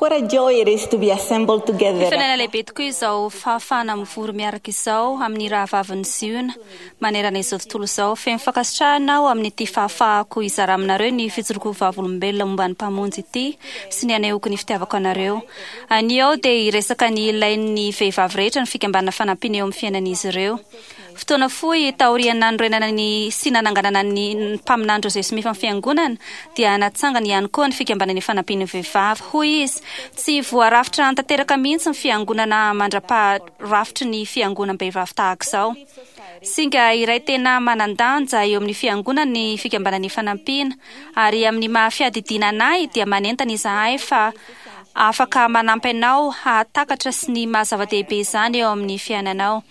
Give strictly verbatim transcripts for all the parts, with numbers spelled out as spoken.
What a joy it is to be assembled together. Fiainana lehibe tokoa izao fahafahana mivory miaraka izao amin'ny rahavavin'ny Ziona manerana izao tontolo izao. Feno fankasitrahana aho amin'ity fahafahako hizara aminareo ny fijoroako vavolombelona momba ny Mpamonjy ity sy ny hanehoako ny fitiavako anareo. Anio aho dia hiresaka ny ilain'ny vehivavy rehetra ny fikambanana fanampiana eo amin'ny fiainan'izy ireo. Fotoana fohy taorian'ny nanorenana ny sy nananganana ny mpaminany Joseph Smith amin'ny fiangonana dia natsangany ihany koa ny fikambanana fanampian'ny vehivavy. Hoy izy, tsy voarafitra tanteraka mihitsy ny fiangonana mandra-paharafitry ny fiangonam-behivavy tahaka izao. Singa iray tena manan-danja eo amin'ny fiangonana ny fikambanana fanampiana, ary amin'ny maha fiadidiana anay dia manentana izahay fa afaka manampy anao hahatakatra sy ny maha zava-dehibe izany eo amin'ny fiainanao.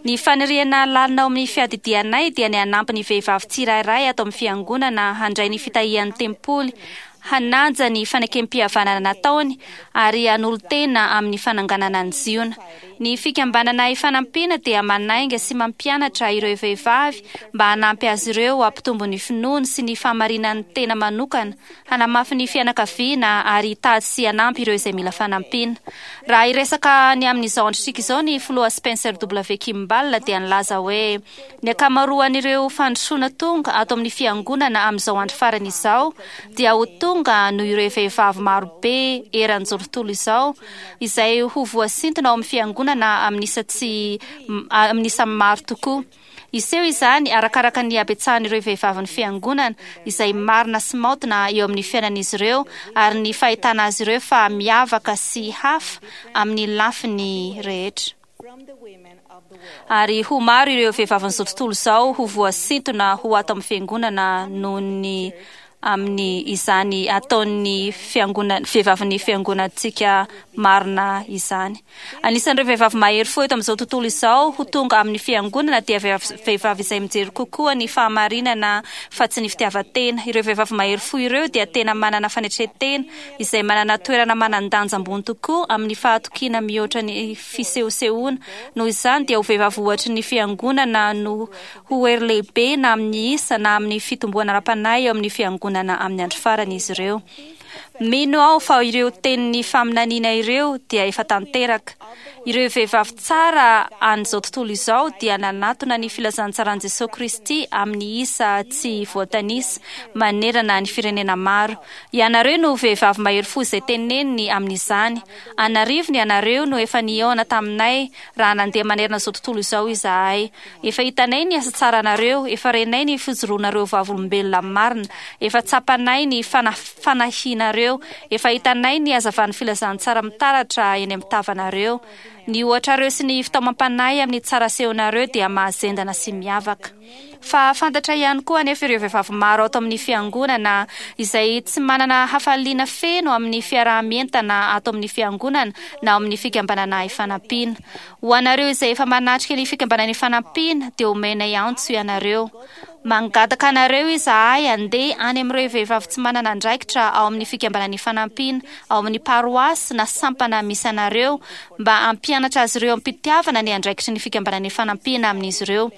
Ny faniriana lalina ao amin'ny fiadidianay dia ny hanampy ny vehivavy tsirairay ato amin'ny fiangonana handray ny fitahian'ny tempoly, hanaja ny fanekem-pihavanana nataony ary hanolo-tena amin'ny fananganana ny Ziona. Ny fikambanana ifanampiana dia manainga sy mampianatra ireo vehivavy mba hanampy azy ireo hampitombo ny finoany sy ny fahamarinan'ny tena manokana, hanamafy ny fianakaviana ary hitady sy hanampy ireo izay mila fanampiana. Raha hiresaka ny amin'izao androntsika izao ny filoha Spencer W. Kimball dia nilaza hoe ny ankamaroan'ireo fandrosoana tonga ato amin'ny fiangonana amin'izao andro farany izao dia ho tonga noho ireo vehivavy marobe eran'izao tontolo izao izay ho voasintona ao amin'ny fiangonana amin'ny isa tsy amin'ny isa maro tokoa. Iseho izany arakaraka ny habetsahan'ireo vehivavin'ny fiangonana izay marina sy maotina eo amin'ny fiainan'izy ireo ary ny fahitana azy ireo fa miavaka sy hafa amin'ny lafiny rehetra. Ary ho maro ireo vehivavin'izao tontolo izao ho voasintona ho ato amin'ny fiangonana noho ny amin'ny izany ataon'ny fiangonana vehivavin'ny fiangonantsika marina izany. Anisan'ireo vehivavy mahery fo eto amin'izao tontolo izao ho tonga amin'ny fiangonana dia vehivavy izay mijery kokoa ny fahamarinana fa tsy ny fitiavan-tena. Ireo vehivavy mahery fo ireo dia tena manana fanetren-tena izay manana toerana manan-danja ambony tokoa amin'ny fahatokiana mihoatra ny fisehosehoana. Noho izany dia ho vehivavy ohatry ny fiangonana no ho hery lehibe na amin'ny isa na amin'ny fitomboana ara-panahy eo amin'ny fiangonana amin'ny andro farany izy ireo. Mino aho fa ireo tenin'ny faminaniana ireo dia efa tanteraka. Ireo vehivavy tsara an'izao tontolo izao dia nanatona ny filazantsaran'i Jesosy Kristy amin'ny isa tsy voatanisa manerana ny firenena maro. Ianareo no vehivavy mahery fo izay teneniny amin'izany. An'arivony ianareo no efa nihaona taminay raha nandeha manerana izao tontolo izao izahay. Efa hitanay ny asa tsaranareo, efa renay ny fijoroanareo vavolombelona marina, efa tsapanay ny fanahinareo, efa hitanay ny hazavan'ny filazantsara mitaratra eny amin'ny tavanareo. Ny ohatrareo sy ny fitaomam-panahy amin'ny tsara asehonareo dia mahazendana sy miavaka. Fa fantatra ihany koa anefa ireo vehivavy maro ato amin'ny fiangonana izay tsy manana hafaliana feno amin'ny fiaraha-mientana ato amin'ny fiangonana na amin'ny fikambanana ifanampiana. Ho anareo izay efa manatrika ny fikambanana ifanampiana dia omenay antso ianareo. Mangataka anareo izahay handeha any amin'ireo vehivavy tsy manana andraikitra ao amin'ny fikambanana ifanampiana, ao amin'ny paroasy na sampana misy anareo mba hampianatra azy ireo am-pitiavana ny andraikitry ny fikambanana ifanampiana amin'izy ireo.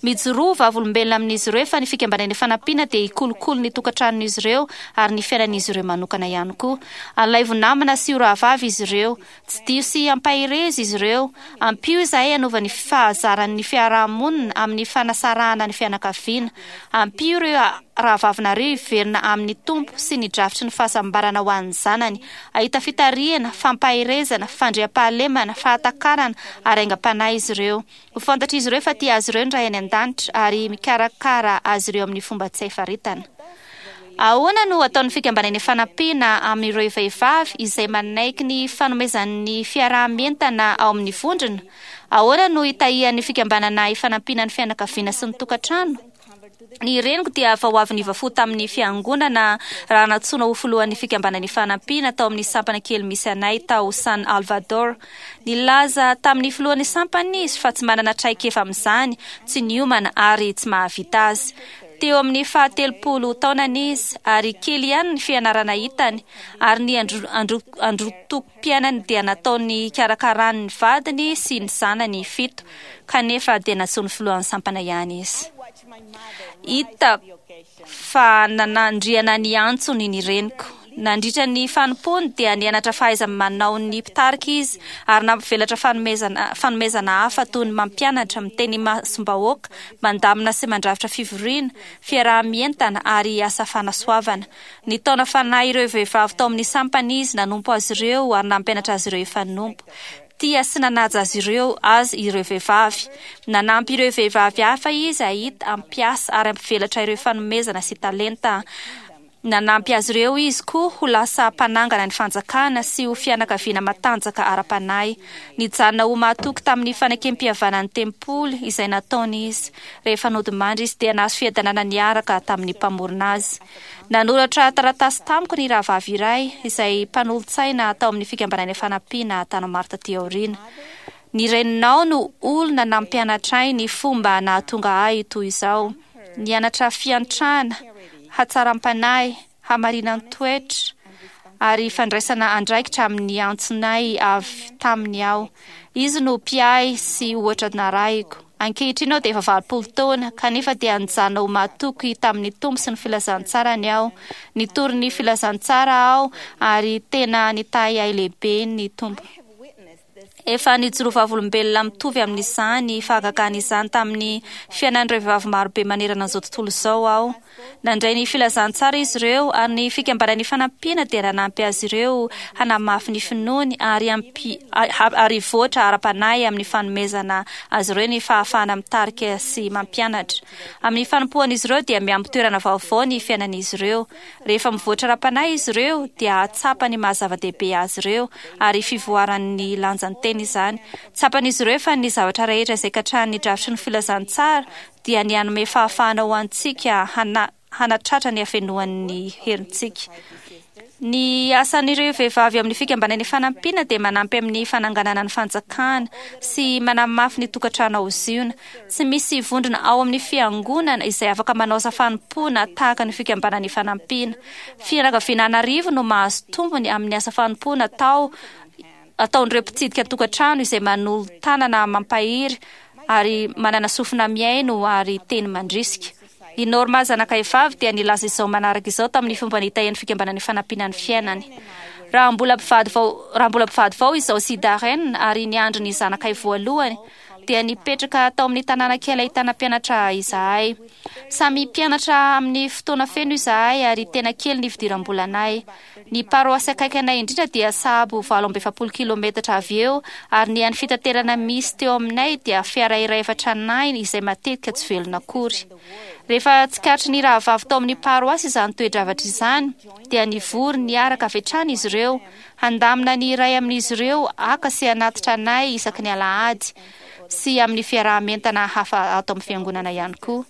Mijoroa vavolombelona amin'izy ireo fa ny fikambanana ifanampiana dia hikolokolo ny tokantranon'izy ireo ary ny fiainan'izy ireo manokana ihany koa. Alaivo namana sy ho rahavavy izy ireo. Tsidiho sy ampaherezo izy ireo. Ampio izahay hanova ny fahazaran'ny fiarahamonina amin'ny fanasarahana ny fianakaviana. Ampio ireo rahavavinareo hiverina amin'ny Tompo sy ny drafitry ny fahasambarana ho an'ny zanany. Hahita fitarihana, fampaherezana, fandriampahalemana, fahatakarana ary aingam-panahy izy ireo. Ho fantatr'izy ireo fa tia azy ireo ny Ray any an-danitra ary mikarakara azy ireo amin'ny fomba tsy hay faritana. Ahoana no ataon'ny fikambanana ifanampiana amin'ireo vehivavy izay manaiky ny fanomezan'ny fiaraha-mientana ao amin'ny vondrona? Ahoana no hitahian'ny fikambanana ifanampiana ny fianakaviana sy ny tokantrano? Ny reniko dia vao avy niova fo tamin'ny fiangonana raha nantsoina ho filohan'ny fikambanana ifanampiana tao amin'ny sampana kely misy anay tao San Salvador. Nilaza tamin'ny filohan'ny sampana izy fa tsy manana traikefa amin'izany, tsy niomana ary tsy mahavita azy. Teo amin'ny fahatelopolo taonany izy ary kely ihany ny fianarana hitany ary ny androtokom-piainany dia nataony hikarakarany ny vadiny sy ny zanany fito, kanefa dia nantsoin'ny filohan'ny sampana ihany izy. Hita fa nanandriana ny antsony ny reniko. Nandritra ny fanompoany dia nianatra fahaiza-manao ny mpitarika izy ary nampivelatra fanomezana fanomezana hafa toy ny mampianatra, miteny imasom-bahoaka, mandamina sy mandrafitra fivoriana, fiaraha-mientana ary asa fanasoavana. Nitaona fanahy ireo vehivavy tao amin'ny sampana izy, nanompo azy ireo ary nampianatra azy ireo hifanompo. Tia sy nanaja azy ireo azy ireo vehivavy. Nanampy ireo vehivavy hafa izy hahita, hampiasa ary hampivelatra ireo fanomezana sy talenta. Nanampy azy ireo izy koa ho lasa mpanangana ny fanjakana sy ho fianakaviana matanjaka ara-panahy. Nijanona ho mahatoky tamin'ny fanekem-pihavanan'ny tempoly izay nataony izy. Rehefa nodimandry izy dia nahazo fiadanana niaraka tamin'ny mpamorona azy. Nanoratra taratasy tamiko ny rahavavy iray izay mpanolotsaina tao amin'ny fikambanana fanampiana tany maro taty aoriana. Ny reninao no olona nampianatra ahy ny fomba nahatonga ahy toy izao. Nianatra fiantrana, hatsaram-panahy, hamarinan-toetra ary fandraisana andraikitra amin'ny antsonay avy taminy aho. Izy no mpiahy sy ohatra narahiko. Ankehitriny aho dia efa valopolo taona, kanefa dia nijanona ho mahatoky tamin'ny Tompo sy ny filazantsarany aho. Nitory ny filazantsara aho ary tena nitahy ahy lehibe ny Tompo. Efa nijoro vavolombelona mitovy amin'izany fahagagana izany tamin'ny fiainan'ireo vehivavy marobe manerana an'izao tontolo izao aho. Nandray ny filazantsara izy ireo ary ny fikambanan'ny fanampiana dia nanampy azy ireo hanamafy ny finoany ary ampi- ary hivoatra ara-panahy amin'ny fanomezana azy ireo ny fahafahana mitarika sy mampianatra. Amin'ny fanompoan'izy ireo dia miampy toerana vaovao ny fiainan'izy ireo. Rehefa mivoatra ara-panahy izy ireo dia hahatsapa ny maha-zava-dehibe azy ireo ary fivoaran'ny lanjan-teny izany. Tsapan'izy ireo fa ny zavatra rehetra izay katrahan'ny drafitry ny filazantsara dia ny hanome fahafahana ho antsika hana hanatratra ny hafenoan'ny herintsika. Ny asan'ireo vehivavy amin'ny fikambanan'ny fanampiana dia manampy amin'ny fananganana ny fanjakana sy manamafy ny tokantrano ao Ziona. Tsy misy vondrona ao amin'ny fiangonana izay afaka manao asa fanompoana tahaka ny fikambanan'ny fanampiana. Fianakaviana an'arivo no mahazo tombony amin'ny asa fanompoana atao ataon'ireo mpitsidika tokantrano izay manolo-tanana mampahery ary manana sofina mihaino ary teny mandrisika. I Norma zanakay vavy dia nilaza izao manaraka izao tamin'ny fomba nitahian'ny fikambanan'ny fanampiana ny fiainany. Raha mbola mpivady vao raha mbola mpivady vao izao sy Darren ary niandry ny zanakay voalohany dia nipetraka tao amin'ny tanàna kely ahitana mpianatra izahay. Samy mpianatra amin'ny fotoana feno izahay ary tena kely ny fidiram-bolanay. Ny paroasy akaiky anay indrindra dia sahabo valo amby efapolo kilometatra avy eo ary ny an'ny fitaterana misy teo aminay dia fiara iray efa tranainy izay matetika tsy velona akory. Rehefa tsikaritry ny rahavavy tao amin'ny paroasy izany toe-javatra izany dia nivory niaraka avy hatrany izy ireo handamina ny iray amin'izy ireo haka sy hanatitra anay isaky ny alahady sy amin'ny fiaraha-mientana hafa ato amin'ny fiangonana ihany koa.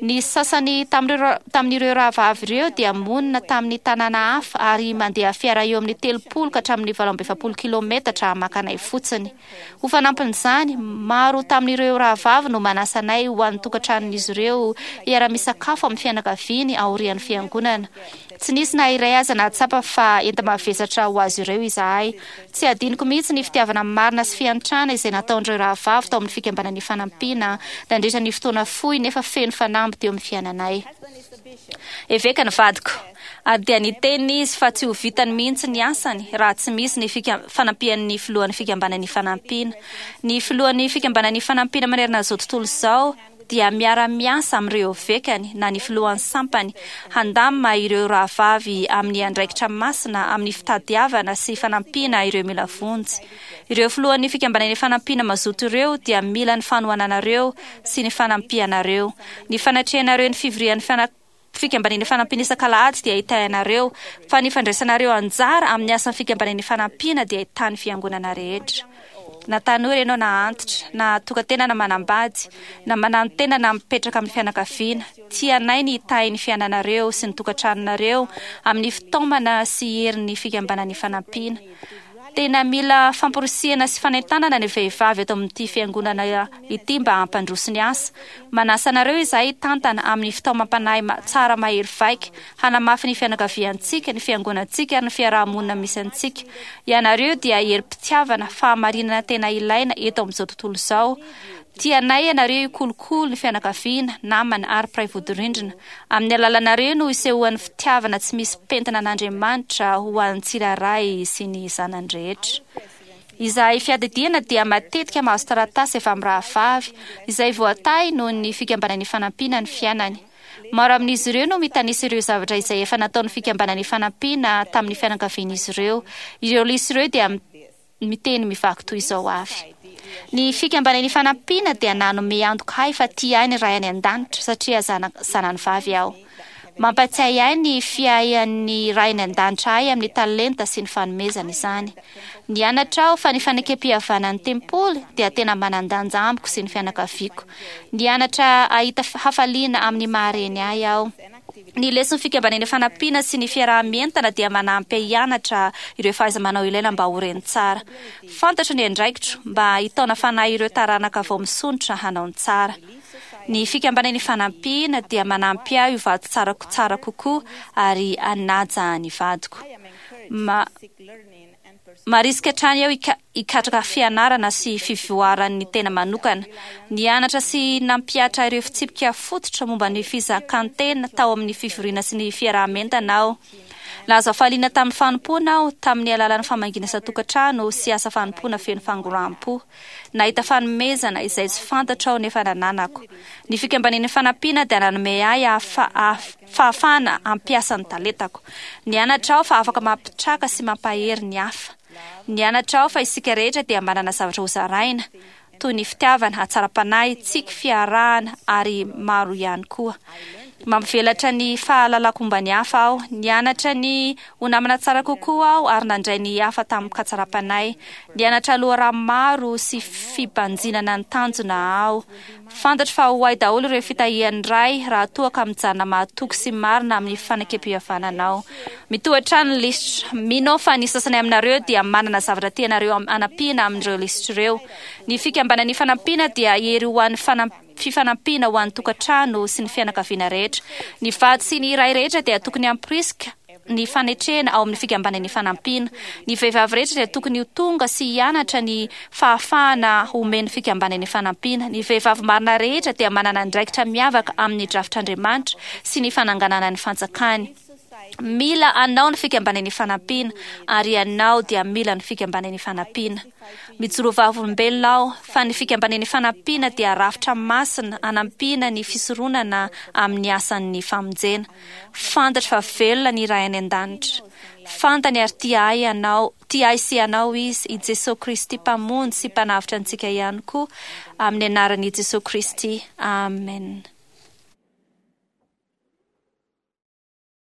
Ny sasany tamin'ireo tamin'ireo rahavavy ireo dia monina tamin'ny tanàna hafa ary mandeha fiara eo amin'ny telopolo ka hatramin'ny valo amby efapolo kilometatra maka anay fotsiny. Ho fanampin'izany, maro tamin'ireo rahavavy no manasa anay ho an'ny tokantranon'izy ireo hiara-misakafo amin'ny fianakaviany aorian'ny fiangonana. Tsy nisy na iray aza nahatsapa fa enta-mavesatra ho azy ireo izahay. Tsy adinoko mihitsy ny fitiavana marina sy fiantrana izay nataon'ireo rahavavy tao amin'ny fikambanan'ny fanampiana nandritra ny fotoana fohy nefa feno fanamby teo amin'ny fiainanay. Eveka ny vadiko ary dia niteny izy fa tsy ho vitany mihitsy ny asany raha tsy misy ny fika- fanampian'ny filohan'ny fikambanan'ny fanampiana. Ny filohan'ny fikambanan'ny fanampiana manerana izao tontolo izao dia miara-miasa amin'ireo evekany na ny filohan'ny sampany handamina ireo rahavavy amin'ny andraikitra masina amin'ny fitadiavana sy fanampiana ireo mila vonjy. Ireo filohan'ny fikambanan'ny fanampiana mazoto ireo dia mila ny fanohananareo sy ny fanampianareo. Ny fanatrehanareo ny fivorian'ny fana fikambanan'ny fanampiana isak'alahady dia hitahianareo, fa ny fandraisanareo anjara amin'ny asan'ny fikambanan'ny fanampiana dia ahitany fiangonana rehetra. Na tanora ianao na antitra, na tokantena na manambady, na mananotena na mipetraka amin'ny fianakaviana, tianay ny hitahy ny fiainanareo sy ny tokantranonareo amin'ny fitaomana sy herin'ny fikambanan'ny fanampiana. Tena mila famporisihana sy fanentanana ny vehivavy eto amin'ity fiangonana ity mba hampandroso ny asa. Manasa anareo izahay hitantana amin'ny fitaomam-panahy tsara mahery vaika, hanamafy ny fianakaviantsika, ny fiangonantsika ary ny fiaraha-monina misy antsika. Ianareo dia herim-pitiavana, fahamarinana tena ilaina eto amin'izao tontolo izao. Tianay ianareo hikolokolo ny fianakaviana, namana ary mpiray vodirindrina. Amin'ny alalanareo no isehoan'ny fitiavana tsy misy pentina an'Andriamanitra ho an'ny tsirairay sy ny zanany rehetra. Izahay fiadidiana dia matetika mahazo taratasy avy amin'ny rahavavy izay voatahy noho ny Fikambanana Ifanampiana ny fiainany. Maro amin'izy ireo no mitanisa ireo zavatra izay efa nataon'ny Fikambanana Ifanampiana tamin'ny fianakavian'izy ireo. Ireo lisitra ireo dia miteny mivaky toy izao avy. Ny Fikambanana Ifanampiana dia nanome antoka ahy fa tia ahy ny Ray any an-danitra satria zanany vavy aho. Mampatsiahy ahy ny fiahian'ny Ray any an-danitra ahy amin'ny talenta sy ny fanomezana izany. Nianatra aho fa ny fanekem-pihavanan'ny tempoly dia tena manan-danja amiko sy ny fianakaviako. Nianatra hahita hafaliana amin'ny maha-reny ahy aho. Ny leson'ny Fikambanana Ifanampiana sy ny fiaraha-mientana dia manampy ahy hianatra ireo fahaiza-manao ilaina mba ho reny tsara. Fantatro ny andraikitro mba hitaona fanahy ireo taranaka vao misondrotra hanao ny tsara. Ny Fikambanana Ifanampiana dia manampy ahy ho vady tsara tsara kokoa ary hanaja ny vadiko. Ma Marisika hatrany aho hikatraka fianarana sy fivoaran'ny tena manokana. Nianatra sy nampihatra ireo fitsipika fototra momba ny fizakan-tena tao amin'ny fivoriana sy ny fiaraha-mientana aho. Nahazo hafaliana tamin'ny fanompoana aho tamin'ny alalan'ny famangiana isan-tokantrano sy asa fanompoana feno fangoraham-po. Nahita fanomezana izay tsy fantatro aho nefa nananako. Ny Fikambanana Ifanampiana dia nanome ahy fahafahana hampiasa ny talentako. Nianatra aho fa afaka mampitraka sy mampahery ny hafa. Nianatra aho fa isika rehetra dia manana zavatra hozaraina, toy ny fitiavana, hatsaram-panahy, tsiky, fiarahana ary maro ihany koa. Mampivelatra ny fahalalako momba ny hafa aho. Nianatra ny ho namana tsara kokoa aho ary nandray ny hafa tamin-katsaram-panahy. Nianatra loharano maro sy fibanjinana ny tanjona aho. Fantatro fa ho ahy daholo ireo fitahian'ny Ray raha toa ka mijanona mahatoky sy marina amin'ny fanekem-pihavanana aho. Mitohy hatrany ny lisitra. Mino aho fa ny sasany aminareo dia manana zavatra tianareo hanampiana amin'ireo lisitra ireo. Ny Fikambanana Ifanampiana dia hery ho an'ny fifanampiana ho an'ny tokantrano sy ny fianakaviana rehetra. Ny vady sy ny ray rehetra dia tokony hamporisika ny fanetrena ao amin'ny Fikambanana Ifanampiana. Ny vehivavy rehetra dia tokony ho tonga sy hianatra ny fahafahana omen'ny Fikambanana Ifanampiana. Ny vehivavy marina rehetra dia manana andraikitra miavaka amin'ny drafitr'Andriamanitra sy ny fananganana ny fanjakany. Mila anao ny Fikambanana Ifanampiana, ary ianao dia mila ny Fikambanana Ifanampiana. Mijoro vavolombelona aho fa ny Fikambanana Ifanampiana dia rafitra masina hanampiana ny fisoronana amin'ny asan'ny famonjena. Fantatro fa velona ny Ray any An-danitra. Fantany ary tia ahy ianao, tia ahy sy ianao Izy, i Jesoa Kristy Mpamonjy sy Mpanavotra antsika ihany koa, amin'ny anaran'i Jesoa Kristy. Amen.